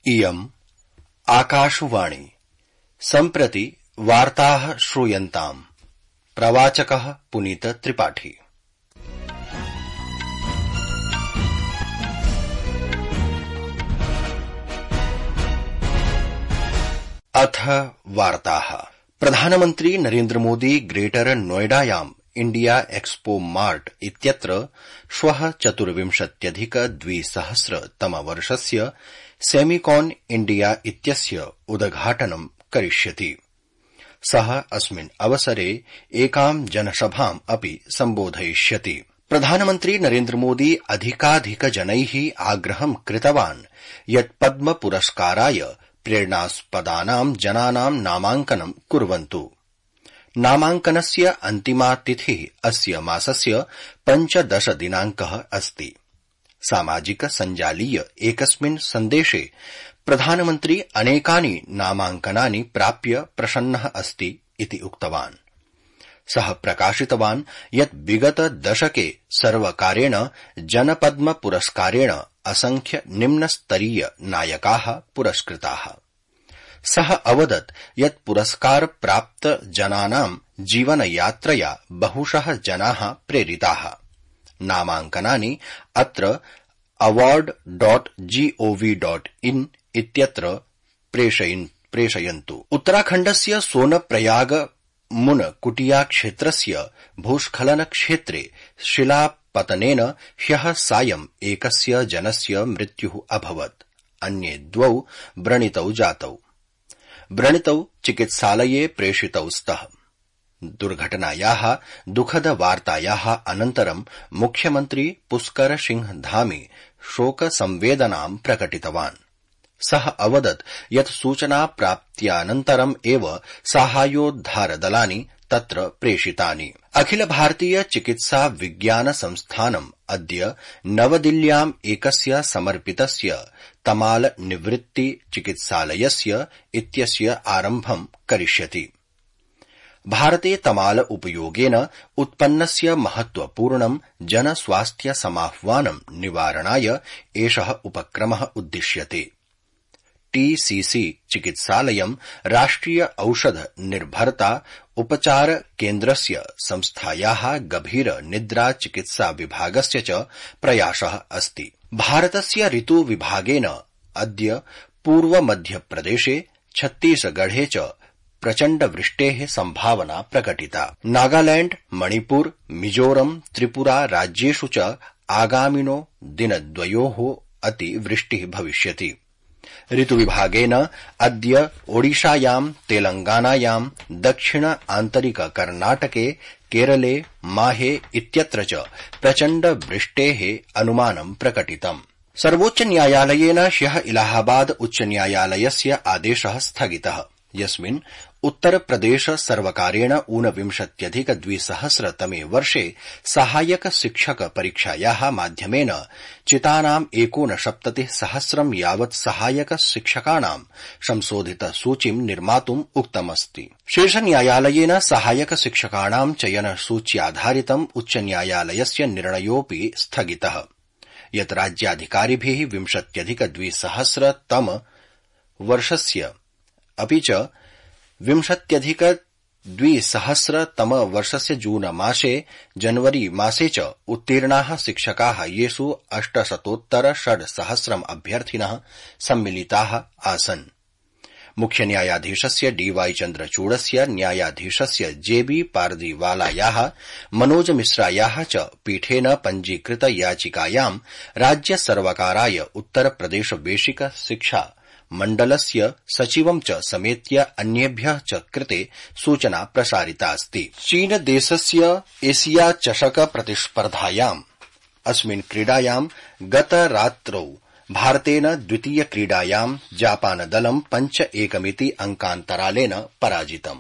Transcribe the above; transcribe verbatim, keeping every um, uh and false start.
इयम् आकाशवाणी सम्प्रति वार्ताः श्रूयन्ताम्। प्रवाचकः पुनीत त्रिपाठी। अथ वार्ताः। प्रधानमन्त्री नरेन्द्र मोदी ग्रेटर नोएडायाम् इंडिया एक्सपो मार्ट इत्यत्र श्वः चतुर्विंशत्यधिक द्विसहस्र तमवर्षस्य सेमिकॉन इंडिया इत्यस्य उद्घाटनं करिष्यति। सः अस्मिन् अवसरे एकां जनसभाम् अपि सम्बोधयिष्यति। प्रधानमन्त्री नरेन्द्र मोदी अधिकाधिकजनैः आग्रहं कृतवान् यत् पद्म पुरस्काराय प्रेरणास्पदानां जनानां नामाङ्कनं कुर्वन्तु। नामाङ्कनस्य अन्तिमा तिथिः अस्य मासस्य पञ्चदश दिनाङ्कः अस्ति। सामाजिक सञ्जालीय एकस्मिन् सन्देशे प्रधानमन्त्री अनेकानि नामाङ्कनानि प्राप्य प्रसन्नः अस्ति इति उक्तवान्। सः प्रकाशितवान् यत् विगत दशके सर्वकारेण जनपद्म पुरस्कारेण असंख्य निम्नस्तरीय नायकाः पुरस्कृताः। सः अवदत् यत् पुरस्कार प्राप्त जनानां जीवनयात्रया बहुशः जनाः प्रेरिताः। नामाङ्कनानि अत्र award dot G O V dot in इत्यत्र प्रेषयन्तु। उत्तराखण्डस्य सोनप्रयाग मुनकुटिया क्षेत्रस्य भूस्खलन क्षेत्रे शिलापतनेन ह्यः सायं एकस्य जनस्य मृत्युः अभवत्। अन्ये द्वौ व्रणितौ जातौ। व्रणितौ चिकित्सालये प्रेषितौ स्तः। दुर्घटनायाः दुःखद वार्तायाः अनन्तरं मुख्यमन्त्री पुष्कर सिंह धामी शोकसंवेदनां प्रकटितवान्। सः अवदत् यत् सूचनाप्राप्त्यानन्तरम् एव साहाय्योद्धारदलानि तत्र प्रेषितानि। अखिल भारतीय चिकित्सा विज्ञान संस्थानम् अद्य नवदिल्ल्याम् एकस्य समर्पितस्य तमाल निवृत्ति चिकित्सालयस्य इत्यस्य आरम्भं करिष्यति। भारते तमाल उपयोगेन उत्पन्नस्य महत्वपूर्णं जनस्वास्थ्य समाह्वानं निवारणाय एषः उपक्रमः उद्दिश्यते। टीसीसी चिकित्सालयं राष्ट्रिय औषध निर्भरता उपचार केन्द्रस्य संस्थायाः गभीर निद्रा चिकित्सा विभागस्य च प्रयासः अस्ति। भारतस्य ऋतु विभागेन अद्य पूर्व मध्यप्रदेशे छत्तीसगढ़े च प्रचण्ड वृष्टेः सम्भावना प्रकटिता। नागालैंड, मणिपुर, मिजोरम, त्रिपुरा राज्येषु च आगामिनो दिनद्वयोः अतिवृष्टिः भविष्यति। ऋतुविभागेन अद्य ओडिशायां, तेलंगानायां, दक्षिण आन्तरिक कर्णाटके, केरले, माहे इत्यत्र च प्रचण्ड वृष्टेः अनुमानं प्रकटितम्। सर्वोच्च न्यायालयेन ह्यः इलाहाबाद उच्च न्यायालयस्य आदेशः स्थगितः, यस्मिन् उत्तरप्रदेश सर्वकारेण ऊनविंशत्यधिक द्विसहस्रतमे वर्षे सहायक शिक्षक परीक्षायाः माध्यमेन चितानाम् एकोनसप्ततिः सहस्रं यावत् सहायक शिक्षकाणां संशोधित सूचीं निर्मातुम् उक्तमस्ति। शीर्षन्यायालयेन सहायक शिक्षकाणां चयन सूच्याधारितम् उच्चन्यायालयस्य निर्णयोऽपि स्थगितः, यत् राज्याधिकारिभिः विंशत्यधिक द्विसहस्रतम वर्षस्य अपि च विंशत्यधिक द्विसहस्रतम वर्षस्य जून मासे जनवरी मासे च उत्तीर्णाः शिक्षकाः येषु अष्टशतोत्तर षड्सहस्रम् अभ्यर्थिनः सम्मिलिताः आसन्। मुख्य न्यायाधीशस्य डीवाई चन्द्रचूडस्य, न्यायाधीशस्य जेबी पारदीवालायाः, मनोज मिश्रायाः च पीठेन पञ्जीकृत याचिकायां राज्य सर्वकाराय उत्तरप्रदेश बेसिक शिक्षा मण्डलस्य सचिवं च समेत्य अन्येभ्यः च कृते सूचना प्रसारितास्ति। चीनदेशस्य एशिया चषक प्रतिस्पर्धायाम् अस्मिन् क्रीडायां गतरात्रौ भारतेन द्वितीय क्रीडायां जापानदलं पञ्च एकमिति अंकान्तरालेन पराजितम्।